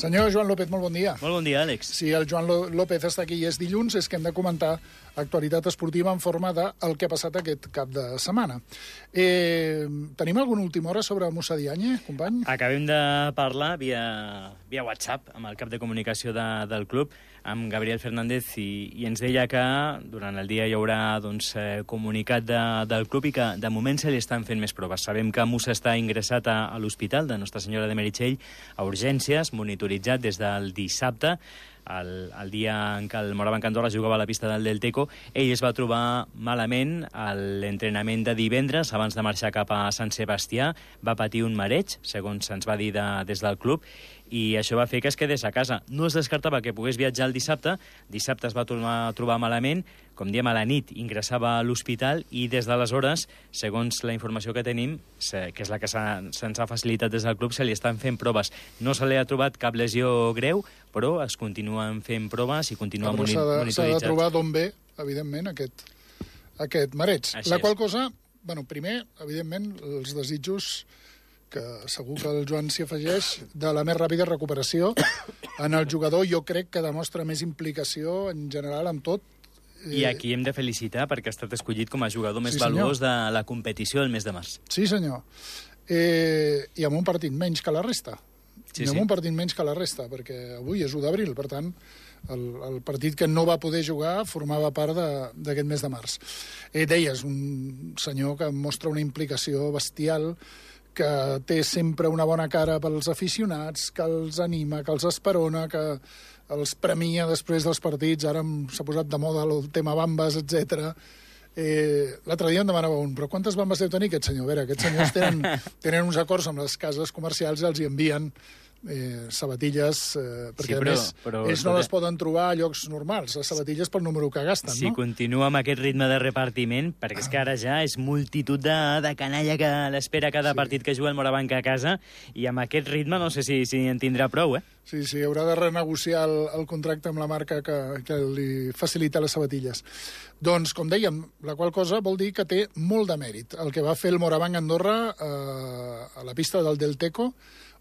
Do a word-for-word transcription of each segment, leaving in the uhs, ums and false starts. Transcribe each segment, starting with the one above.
Senyor Joan López, molt bon dia. Molt bon dia, Àlex. Si el Joan López està aquí i és dilluns, és que hem de comentar actualitat esportiva en forma del que ha passat aquest cap de setmana. Eh, tenim alguna última hora sobre Moussa Diagne, company? Acabem de parlar via, via WhatsApp amb el cap de comunicació de, del club, amb Gabriel Fernández, i, i ens deia que durant el dia hi haurà doncs, eh, comunicat de, del club i que de moment se li estan fent més proves. Sabem que Moussa està ingressat a, a l'hospital de Nostra Senyora de Meritxell a urgències, monitoritzat des del dissabte, el, el dia en què el Morabanc Andorra jugava a la pista del Delteco. Ell es va trobar malament a l'entrenament de divendres, abans de marxar cap a Sant Sebastià. Va patir un mareig, segons se'ns va dir de, des del club, i això va fer que es quedés a casa. No es descartava que pogués viatjar el dissabte. Dissabte es va tornar a trobar malament, com diem, a la nit ingressava a l'hospital, i des d'aleshores, segons la informació que tenim, que és la que se'ns ha facilitat des del club, se li estan fent proves. No se li ha trobat cap lesió greu, però es continuen fent proves i continua monitoritzat. S'ha de trobar d'on ve, evidentment, aquest, aquest mareig. Així la qual és. cosa, bueno, primer, evidentment, els desitjos que segur que el Joan s'hi afegeix, de la més ràpida recuperació en el jugador. Jo crec que demostra més implicació en general amb tot. I aquí hem de felicitar perquè ha estat escollit com a jugador més sí, valuós de la competició el mes de març. Sí, senyor. Eh, I amb un partit menys que la resta. Sí, I amb sí. un partit menys que la resta, perquè avui és u d'abril, per tant, el, el partit que no va poder jugar formava part d'aquest mes de març. Eh, deies, un senyor que mostra una implicació bestial, que té sempre una bona cara pels aficionats, que els anima, que els esperona, que els premia després dels partits. Ara s'ha posat de moda el tema bambes, etcètera. Eh, L'altre dia em demanava un, però quantes bambes deu tenir aquest senyor? A veure, aquests senyors tenen, tenen uns acords amb les cases comercials i els hi envien eh, sabatilles, eh, perquè sí, però, a més però, ells no les poden trobar a llocs normals, les sabatilles pel número que gasten, si no? Si continua amb aquest ritme de repartiment, perquè és que ara ja és multitud de, de canalla que l'espera cada sí. partit que juga el Morabanc a casa, i amb aquest ritme no sé si, si en tindrà prou, eh? Sí, sí, haurà de renegociar el, el contracte amb la marca que, que li facilita les sabatilles. Doncs, com dèiem, la qual cosa vol dir que té molt de mèrit el que va fer el Morabanc Andorra eh, a la pista del Delteco,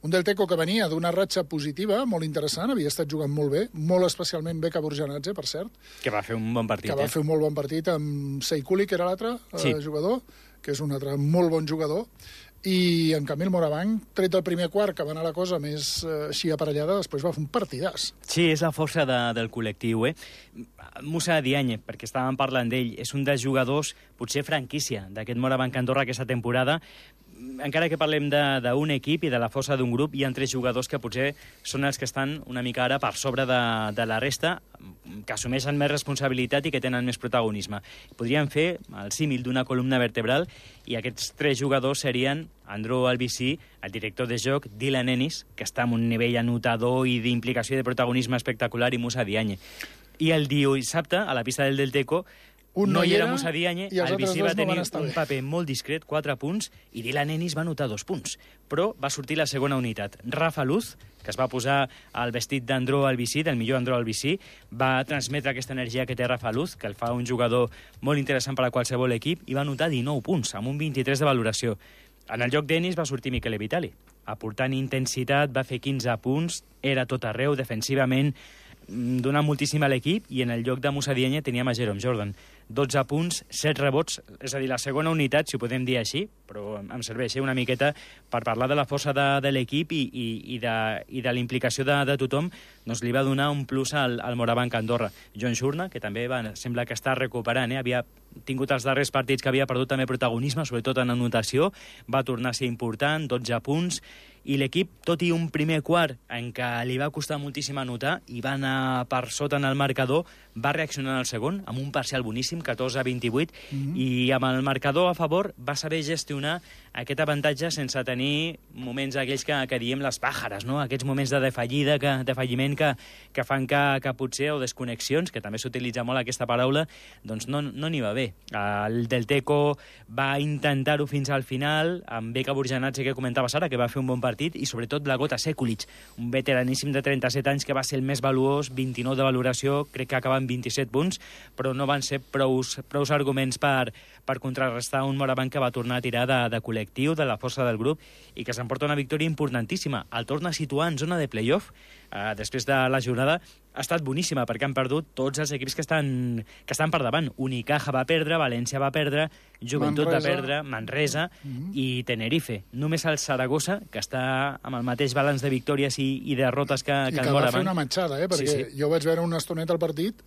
un Delteco que venia d'una ratxa positiva, molt interessant, havia estat jugant molt bé, molt especialment bé Caborjanadze, per cert. Que va fer un bon partit, Que va eh? fer un molt bon partit amb Seikuli, que era l'altre sí. eh, jugador, que és un altre molt bon jugador. I, en canvi, el Morabanc, tret el primer quart, que va anar la cosa més eh, així aparellada, després va fer un partidàs. Sí, és la força de, del col·lectiu, eh? Moussa Diagne, perquè estàvem parlant d'ell, és un dels jugadors, potser franquícia, d'aquest Morabanc Andorra aquesta temporada. Encara que parlem d'un equip i de la força d'un grup, hi ha tres jugadors que potser són els que estan una mica ara per sobre de, de la resta, que assumeixen més responsabilitat i que tenen més protagonisme. Podríem fer el símil d'una columna vertebral, i aquests tres jugadors serien Andreu Albicí, el director de joc, Dylan Ennis, que està amb un nivell anotador i d'implicació i de protagonisme espectacular, i Moussa Diagne. I el dissabte, a la pista del Delteco, Un no, no hi era Moussa Diagne, el Bicí va tenir no un bé. paper molt discret, quatre punts, i Dylan Ennis va anotar dos punts. Però va sortir la segona unitat. Rafa Luz, que es va posar al vestit d'Andreu Albicí, del millor Andreu Albicí, va transmetre aquesta energia que té Rafa Luz, que el fa un jugador molt interessant per a qualsevol equip, i va anotar dinou punts, amb un vint-i-tres de valoració. En el lloc d'Ennis va sortir Michele Vitali, aportant intensitat, va fer quinze punts, era tot arreu, defensivament, donant moltíssim a l'equip, i en el lloc de Moussa Diagne teníem a Jerome Jordan. dotze punts, set rebots, és a dir, la segona unitat, si ho podem dir així, però em serveix una miqueta per parlar de la força de, de l'equip i, i, i de, i de la implicació de, de tothom, doncs li va donar un plus al, al Morabanc Andorra. John Shurna, que també va, sembla que està recuperant, eh? Havia tingut els darrers partits que havia perdut també protagonisme, sobretot en anotació, va tornar a ser important, dotze punts, i l'equip, tot i un primer quart en què li va costar moltíssim anotar i va anar per sota en el marcador, va reaccionar en el segon amb un parcial boníssim, catorze a vint-i-vuit, mm-hmm. i amb el marcador a favor va saber gestionar aquest avantatge sense tenir moments aquells que, que diem les pàjares, no? Aquests moments de defallida, que, de falliment que, que fan que, que potser, o desconnexions, que també s'utilitza molt aquesta paraula, doncs no n'hi no va bé. El Delteco va intentar-ho fins al final, amb Beka Burjanadze, que comentaves ara, que va fer un bon partit, i sobretot Blagota Sekulic, un veteraníssim de trenta-set anys que va ser el més valuós, vint-i-nou de valoració, crec que acaba amb vint-i-set punts, però no van ser prou prous, prous arguments per, per contrarrestar un Morabanc que va tornar a tirar de, de col·lectiu, de la força del grup, i que s'emporta una victòria importantíssima. El torna a situar en zona de play-off, eh, després de la jornada. Ha estat boníssima, perquè han perdut tots els equips que estan, que estan per davant. Unicaja va perdre, València va perdre, Joventut Manresa. va perdre, Manresa mm-hmm. i Tenerife. Només el Saragossa, que està amb el mateix balanç de victòries i, i derrotes que, I que el Morabanc. I que va fer una matxada, eh? Perquè sí, sí. jo vaig veure una estoneta al partit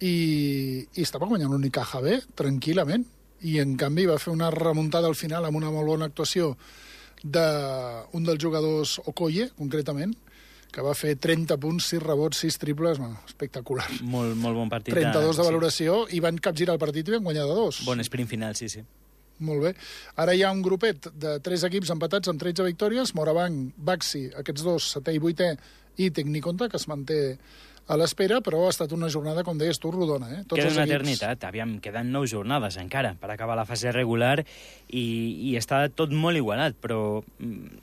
i, i estava guanyant l'Unicaja bé, tranquil·lament. I, en canvi, va fer una remuntada al final amb una molt bona actuació d'un dels jugadors, Okoye, concretament, que va fer trenta punts, sis rebots, sis triples, bueno, espectacular. Molt, molt bon partit. trenta-dos de valoració, sí. I van capgirar el partit i van guanyar de dos. Bon sprint final, sí, sí. Molt bé. Ara hi ha un grupet de tres equips empatats amb tretze victòries, Morabanc, Baxi, aquests dos, setè i vuitè, i Tecniconta, que es manté a l'espera, però ha estat una jornada, com deies tu, rodona. Eh? Tots Queda una equips... eternitat. Aviam, queden nou jornades encara per acabar la fase regular i, i està tot molt igualat, però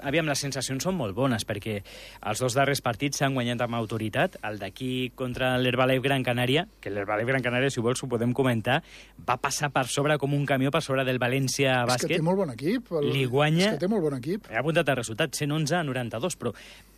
aviam, les sensacions són molt bones, perquè els dos darrers partits s'han guanyat amb autoritat. El d'aquí contra l'Herbalife Gran Canària, que l'Herbalife Gran Canària, si vols, ho podem comentar, va passar per sobre com un camió per sobre del València Bàsquet. És que té molt bon equip. El... Li guanya... És que té molt bon equip. He apuntat el resultat, cent onze a noranta-dos, però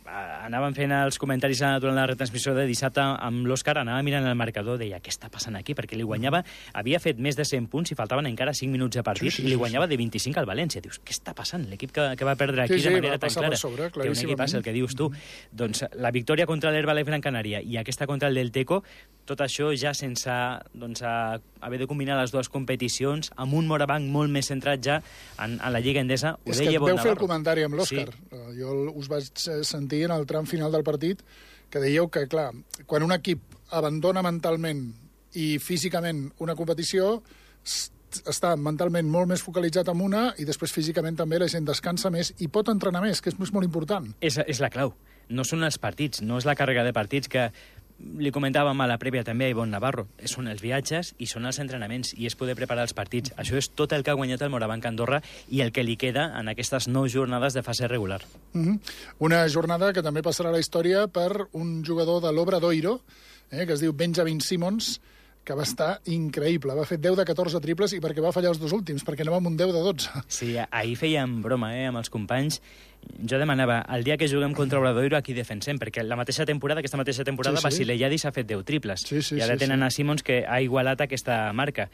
anàvem fent els comentaris durant la retransmissió de dissabte amb l'Òscar, anava mirant el marcador, deia, què està passant aquí? Perquè li guanyava, havia fet més de cent punts i faltaven encara cinc minuts de partit, sí, sí, i li guanyava de vint-i-cinc al València. Dius, què està passant? L'equip que, que va perdre aquí sí, sí, de manera tan clara, sobre, que un equip passa, el que dius tu. Mm-hmm. Doncs la victòria contra l'Herbalife Gran Canària i aquesta contra el del Teco, tot això ja sense doncs, haver de combinar les dues competicions, amb un Morabanc molt més centrat ja en, en la Lliga Endesa, ho És deia que Bon veu fer el Navarro. comentari amb l'Òscar. Sí. Jo us vaig sentir en el tram final del partit que dèieu que, clar, quan un equip abandona mentalment i físicament una competició, està mentalment molt més focalitzat en una i després físicament també la gent descansa més i pot entrenar més, que és molt important. És, és la clau. No són els partits, no és la càrrega de partits que li comentàvem a la prèvia també a Ivonne Navarro. Són els viatges i són els entrenaments i és poder preparar els partits. Això és tot el que ha guanyat el Morabanc Andorra i el que li queda en aquestes nou jornades de fase regular. Mm-hmm. Una jornada que també passarà a la història per un jugador de l'Obradoiro, eh, que es diu Benjamin Simmons, que va estar increïble. Va fer deu de catorze triples i perquè va fallar els dos últims, perquè anava amb un deu de dotze. Sí, ahir fèiem broma eh, amb els companys. Jo demanava, el dia que juguem contra Obradoiro, aquí defensem, perquè la mateixa temporada, aquesta mateixa temporada, sí, sí. Basileyadis ha fet deu triples. Sí, sí, I ara sí, tenen sí. a Simmons, que ha igualat aquesta marca.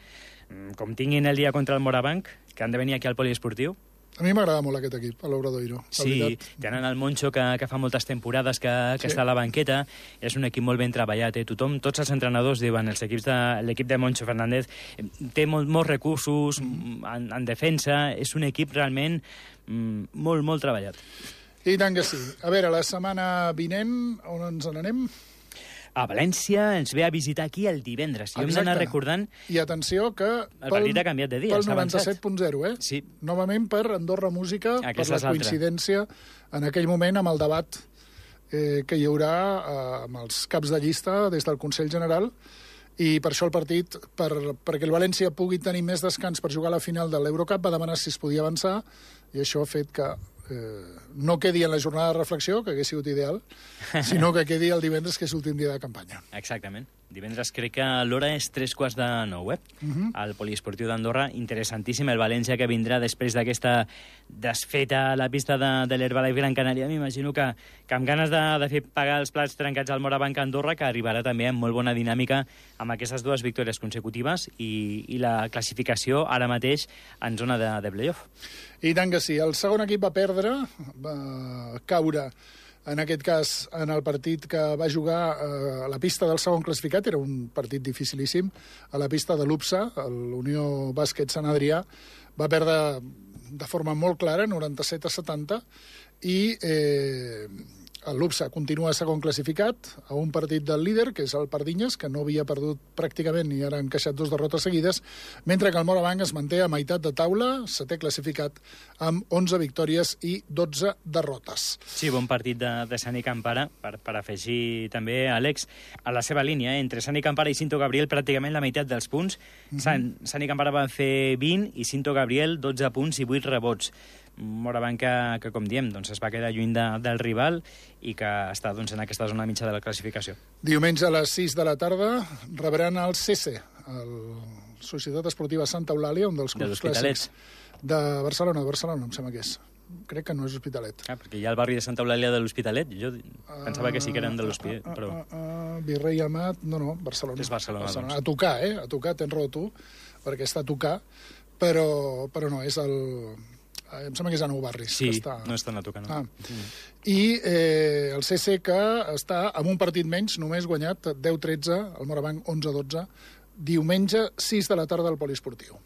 Com tinguin el dia contra el Morabanc, que han de venir aquí al poliesportiu. A mi m'agrada molt aquest equip, l'Obradoiro. Sí, tenen el Moncho, que, que fa moltes temporades que, que sí. està a la banqueta. És un equip molt ben treballat. Eh? Tothom, tots els entrenadors diuen, els equips de, l'equip de Moncho Fernández té molt, molts recursos mm. en, en defensa. És un equip realment mm, molt, molt treballat. I tant que sí. A veure, la setmana vinent, on ens n'anem? A València ens ve a visitar aquí el divendres. I hem d'anar recordant... I atenció que... El partit ha canviat de dia, pel noranta-set punt zero, eh? Sí. Novament per Andorra Música, Aquesta per la coincidència en aquell moment amb el debat eh, que hi haurà eh, amb els caps de llista des del Consell General, i per això el partit, per, perquè el València pugui tenir més descans per jugar a la final de l'Eurocup, va demanar si es podia avançar, i això ha fet que eh, no quedi en la jornada de reflexió, que hagués sigut ideal, sinó que quedi el divendres, que és l'últim dia de campanya. Exactament. Divendres crec que l'hora és tres quarts de nou, eh? Uh-huh. Al poliesportiu d'Andorra. Interessantíssim el València que vindrà després d'aquesta desfeta a la pista de, de l'Herbalife Gran Canària. M'imagino que, que amb ganes de, de fer pagar els plats trencats al Morabanc Andorra, que arribarà també amb molt bona dinàmica amb aquestes dues victòries consecutives i, i la classificació ara mateix en zona de, de play-off. I tant que sí. El segon equip va perdre, va caure en aquest cas, en el partit que va jugar eh, a la pista del segon classificat, era un partit dificilíssim, a la pista de l'U P S A, l'Unió Bàsquet Sant Adrià, va perdre de forma molt clara, noranta-set a setanta, i eh, l'U P S A continua segon classificat a un partit del líder, que és el Pardinyes, que no havia perdut pràcticament i ara ha encaixat dos derrotes seguides, mentre que el Morabanc es manté a meitat de taula, setè classificat, amb onze victòries i dotze derrotes. Sí, bon partit de, de Sani Campara, per, per afegir també, Àlex, a la seva línia, eh? Entre Sani Campara i Cinto Gabriel pràcticament la meitat dels punts. Mm-hmm. San, Sani Campara va fer vint i Cinto Gabriel dotze punts i vuit rebots. Morabanc que, que, com diem, doncs es va quedar lluny de, del rival i que està doncs, en aquesta zona mitja de la classificació. Diumenge a les sis de la tarda rebran el C C, el Societat Esportiva Santa Eulàlia, un dels clubs clàssics de Barcelona, de Barcelona, em sembla que és. Crec que no és Hospitalet. Ah, perquè hi ha el barri de Santa Eulàlia de l'Hospitalet. Jo pensava que sí que eren de l'Hospitalet, però... Uh, uh, uh, Virrei Amat... No, no, Barcelona. És Barcelona, Barcelona. Doncs. A tocar, eh? A tocar, tens raó tu, perquè està a tocar, però, però no, és el... Em sembla que és a Nou Barris. Sí, que està... no és tan a tocar, no. Ah. Mm. I eh, el C C que està amb un partit menys, només guanyat deu tretze, el Morabanc onze dotze, diumenge sis de la tarda al Poliesportiu.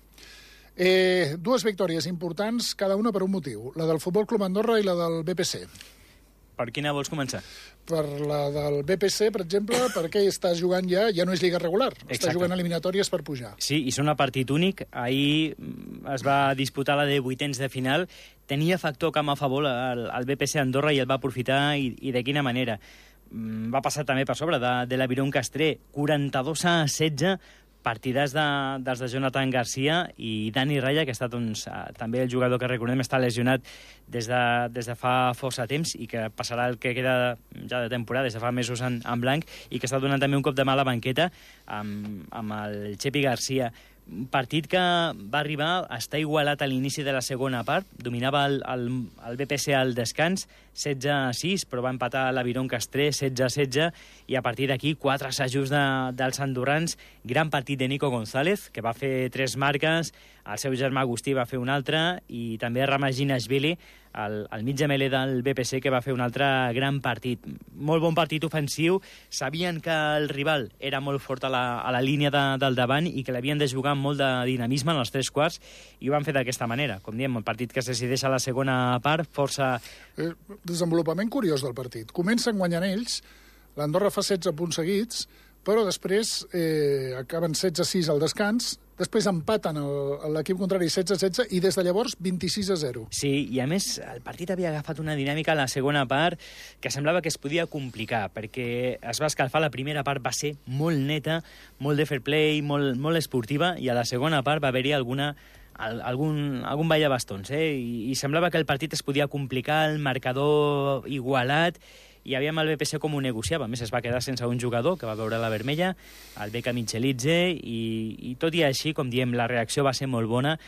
Eh, dues victòries importants, cada una per un motiu. La del Futbol Club Andorra i la del B P C. Per quina vols començar? Per la del B P C, per exemple, perquè està jugant ja, ja no és lliga regular, Exacte. Està jugant eliminatòries per pujar. Sí, i són a partit únic. Ahir es va disputar la de vuitens de final. Tenia factor camp a favor al, al B P C Andorra i el va aprofitar, i, i de quina manera. Va passar també per sobre de, de l'Aviron Castré, quaranta-dos a setze, partidars de, dels de Jonathan Garcia i Dani Raya, que ha estat doncs, també el jugador que recordem està lesionat des de, des de fa força temps i que passarà el que queda ja de temporada, des de fa mesos en, en blanc, i que està donant també un cop de mà a la banqueta amb, amb el Chepi Garcia. Un partit que va arribar a estar igualat a l'inici de la segona part, dominava el, el, el B P C al descans, setze a sis, però va empatar l'Aviron Castré, setze a setze, i a partir d'aquí quatre assajos de, dels andorrans, gran partit de Nico González, que va fer tres marques, el seu germà Agustí va fer un altre, i també Ramaginashvili, el, el mig gemeler del B P C, que va fer un altre gran partit. Molt bon partit ofensiu, sabien que el rival era molt fort a la, a la línia de, del davant i que l'havien de jugar amb molt de dinamisme en els tres quarts, i ho van fer d'aquesta manera. Com diem, el partit que es decideix a la segona part, força... Eh, desenvolupament curiós del partit. Comencen guanyant ells, l'Andorra fa setze punts seguits, però després eh, acaben setze a sis al descans, després empaten l'equip contrari setze a setze i des de llavors vint-i-sis a zero. Sí, i a més el partit havia agafat una dinàmica a la segona part que semblava que es podia complicar, perquè es va escalfar, la primera part va ser molt neta, molt de fair play, molt, molt esportiva, i a la segona part va haver-hi alguna... algun, algun ball de bastons, eh? I, i semblava que el partit es podia complicar, el marcador igualat, i aviam el B P C com ho negociava. A més, es va quedar sense un jugador que va veure la vermella, el Becca Michelidze, i, i tot i així, com diem, la reacció va ser molt bona.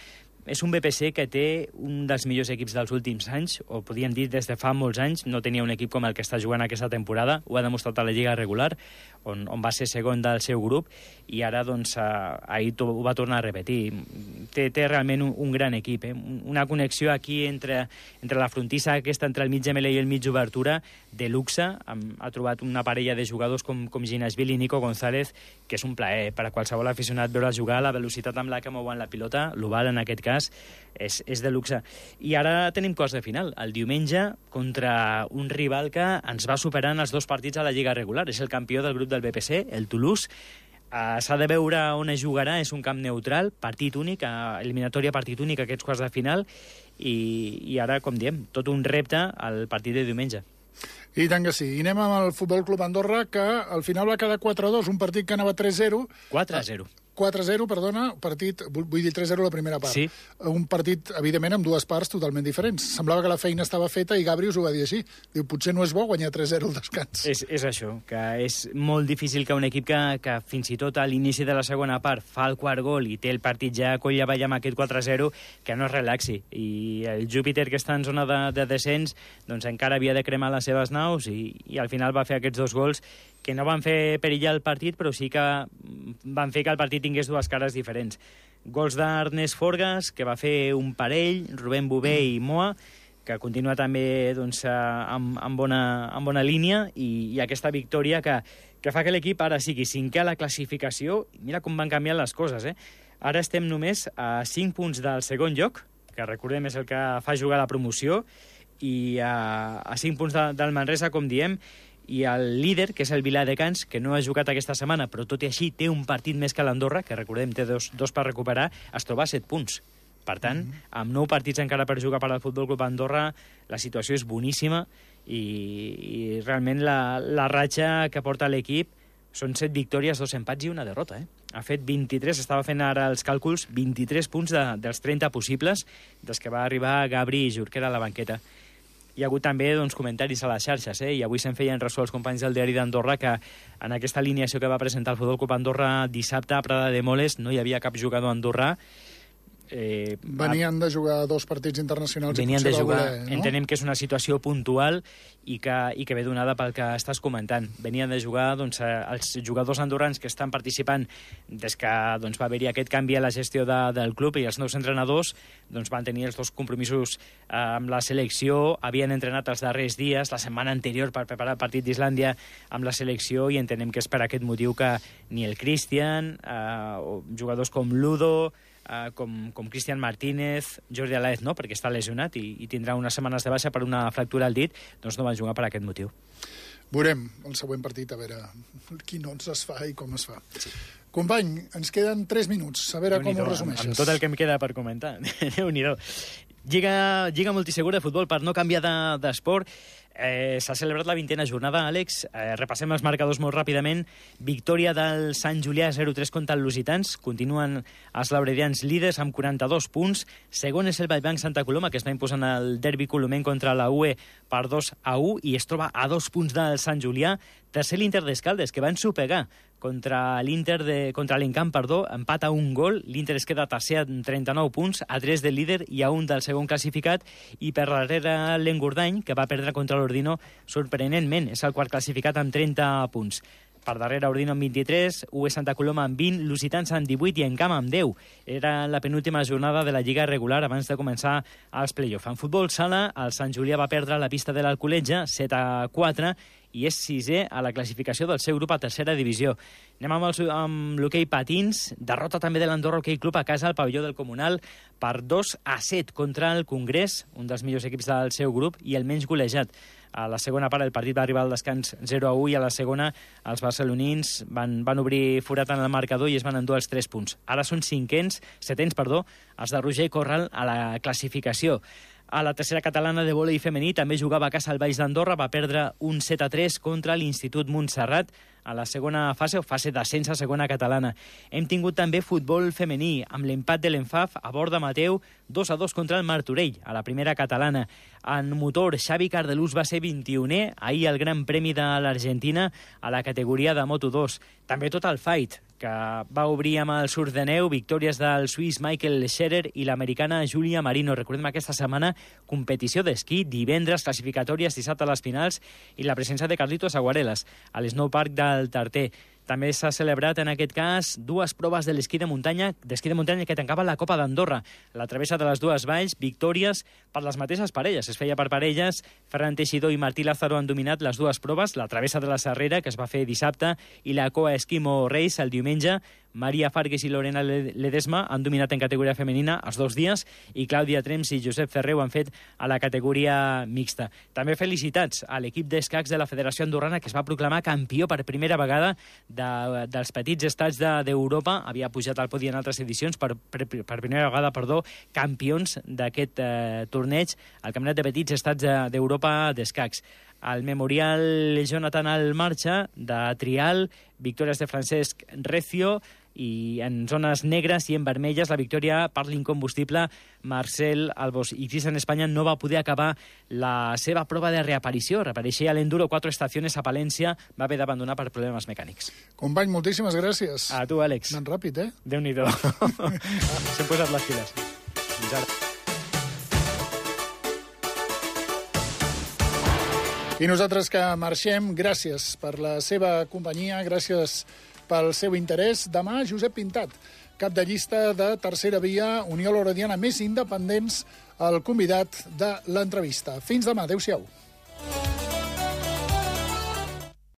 És un B P C que té un dels millors equips dels últims anys, o podríem dir des de fa molts anys. No tenia un equip com el que està jugant aquesta temporada, ho ha demostrat a la Lliga regular, on, on va ser segon del seu grup, i ara doncs, ahir ho va tornar a repetir. Té, té realment un, un gran equip, eh? Una connexió aquí entre, entre la frontissa aquesta, entre el mig gemeler i el mig obertura, de luxe. Ha trobat una parella de jugadors com, com Ginashvili i Nico González, que és un plaer per a qualsevol aficionat veure jugar, la velocitat amb la que mouen la pilota, l'oval en aquest cas, és, és de luxe. I ara tenim cos de final, el diumenge, contra un rival que ens va superar en els dos partits a la Lliga regular. És el campió del grup del B P C, el Toulouse. Uh, S'ha de veure on es jugarà, és un camp neutral, partit únic, uh, eliminatòria partit únic, aquests quarts de final, i, i ara, com diem, tot un repte al partit de diumenge. I tant que sí. I anem amb el Futbol Club Andorra, que al final va quedar quatre a dos, un partit que anava tres a zero. quatre a zero. quatre a zero, perdona, partit, vull dir tres a zero la primera part. Sí. Un partit, evidentment, amb dues parts totalment diferents. Semblava que la feina estava feta i Gabri us ho va dir així. Diu, potser no és bo guanyar tres a zero al descans. És, és això, que és molt difícil que un equip que, que fins i tot a l'inici de la segona part fa el quart gol i té el partit ja coll avall amb aquest quatre a zero, que no es relaxi. I el Júpiter, que està en zona de, de descens, doncs encara havia de cremar les seves naus, i, i al final va fer aquests dos gols que no van fer perillar el partit, però sí que van fer que el partit tingués dues cares diferents. Gols d'Ernest Forgas, que va fer un parell, Rubén Bové i Moa, que continua també doncs, amb, amb, bona, amb bona línia, i, i aquesta victòria que, que fa que l'equip ara sigui cinquè a la classificació. Mira com van canviar les coses, eh? Ara estem només a cinc punts del segon lloc, que recordem és el que fa jugar la promoció, i a, a cinc punts de, del Manresa, com diem, i el líder, que és el Viladecans, que no ha jugat aquesta setmana, però tot i així té un partit més que l'Andorra, que recordem té dos, dos per recuperar, es troba a set punts. Per tant, mm -hmm. amb nou partits encara per jugar per al Futbol Club Andorra, la situació és boníssima, i, i realment la, la ratxa que porta l'equip són set victòries, dos empats i una derrota. Eh? Ha fet vint-i-tres, estava fent ara els càlculs, vint-i-tres punts de, dels trenta possibles, des que va arribar Gabri i Jorquera a la banqueta. hi ha hagut també doncs, comentaris a les xarxes, eh? I avui se'n feien ressò els companys del diari d'Andorra que en aquesta alineació que va presentar el Futbol Club Andorra dissabte a Prada de Moles no hi havia cap jugador andorrà. Eh, Venien de jugar dos partits internacionals venien i potser de jugar, va voler, no? Entenem que és una situació puntual i que, i que ve donada pel que estàs comentant. Venien de jugar doncs, els jugadors andorrans que estan participant des que doncs, va haver-hi aquest canvi a la gestió de, del club i els nous entrenadors doncs, van tenir els dos compromisos eh, amb la selecció, havien entrenat els darrers dies, la setmana anterior per preparar el partit d'Islàndia amb la selecció i entenem que és per aquest motiu que ni el Cristian, eh, o jugadors com Ludo, Uh, com, com Cristian Martínez, Jordi Alaez no, perquè està lesionat i, i tindrà unes setmanes de baixa per una fractura al dit, doncs no van jugar per aquest motiu. Veurem el següent partit, a veure quin ons es fa i com es fa. Sí. Company, ens queden tres minuts, a veure com ho resumeixes. Amb, amb tot el que em queda per comentar. Déu-n'hi-do. Lliga, Lliga multisegura de futbol per no canviar d'esport. De, eh, S'ha celebrat la vintena jornada, Àlex. Eh, repassem els marcadors molt ràpidament. Victòria del Sant Julià zero tres contra el Lusitans. Continuen els lauredians líders amb quaranta-dos punts. Segon és el Vallbanc Santa Coloma, que està imposant el derbi colomenc contra la U E per dos a u i es troba a dos punts del Sant Julià. Tercer l'Inter d'Escaldes, que van sopegar contra l'Inter de contra l'Encamp, perdó, empat a un gol. L'Inter es queda tercer amb trenta-nou punts, a tres del líder i a un del segon classificat, i per darrere l'Engordany, que va perdre contra l'Ordino sorprenentment, és el quart classificat amb trenta punts. Per darrere Ordino amb vint-i-tres, U E Santa Coloma amb vint, Lusitans amb divuit i Encamp amb deu. Era la penúltima jornada de la Lliga regular abans de començar els play-off. En futbol sala, el Sant Julià va perdre la pista de l'Alcoletge, set a quatre, i és sisè a la classificació del seu grup a tercera divisió. Anem amb, el, amb l'hoquei patins, derrota també de l'Andorra Hoquei Club a casa al pavelló del Comunal per dos a set contra el Congrés, un dels millors equips del seu grup i el menys golejat. A la segona part el partit va arribar al descans zero a u i a la segona els barcelonins van, van obrir forat en el marcador i es van endur els tres punts. Ara són cinquens, setens, perdó, els de Roger i Corral a la classificació. A la tercera catalana de vòlei femení també jugava a casa al Baix d'Andorra, va perdre un set a tres contra l'Institut Montserrat a la segona fase, o fase d'ascens a segona catalana. Hem tingut també futbol femení, amb l'empat de l'Enfaf a Borda Mateu, dos a dos contra el Martorell, a la primera catalana. En motor, Xavi Cardelús va ser vint-i-unè, ahir el Gran Premi de l'Argentina a la categoria de Moto dos. També tot el fight, que va obrir amb el surf de neu, victòries del suís Michael Scherer i l'americana Julia Marino. Recordem aquesta setmana competició d'esquí, divendres classificatòries, dissabte a les finals i la presència de Carlitos Aguarelas a l'Snowpark del Tarter. També s'ha celebrat, en aquest cas, dues proves de l'esquí de muntanya, d'esquí de muntanya que tancava la Copa d'Andorra. La travessa de les dues valls, victòries per les mateixes parelles. Es feia per parelles. Ferran Teixidor i Martí Lázaro han dominat les dues proves, la travessa de la Serrera, que es va fer dissabte, i la Coa Esquimo Reis el diumenge. Maria Fargues i Lorena Ledesma han dominat en categoria femenina els dos dies i Clàudia Trems i Josep Ferrer ho han fet a la categoria mixta. També felicitats a l'equip d'escacs de la Federació Andorrana, que es va proclamar campió per primera vegada de, dels petits estats d'Europa. De, Havia pujat al podi en altres edicions, per, per, per primera vegada, perdó, campions d'aquest eh, torneig, el Campionat de Petits Estats d'Europa d'escacs. El Memorial Jonathan Almarcha de Trial, victòries de Francesc Recio, i en zones negres i en vermelles la victòria per l'incombustible Marcel Albos. I Cristian Espanya no va poder acabar la seva prova de reaparició. Reapareixia a l'Enduro Quatre Estaciones a Palència, va haver d'abandonar per problemes mecànics. Company, moltíssimes gràcies. A tu, Àlex. Anant ràpid, eh? Déu-n'hi-do. S'hem posat les files. Fins ara. I nosaltres que marxem, gràcies per la seva companyia, gràcies pel seu interès. Demà, Josep Pintat, cap de llista de Tercera Via, Unió Lorediana Més Independents, el convidat de l'entrevista. Fins demà, adéu-siau.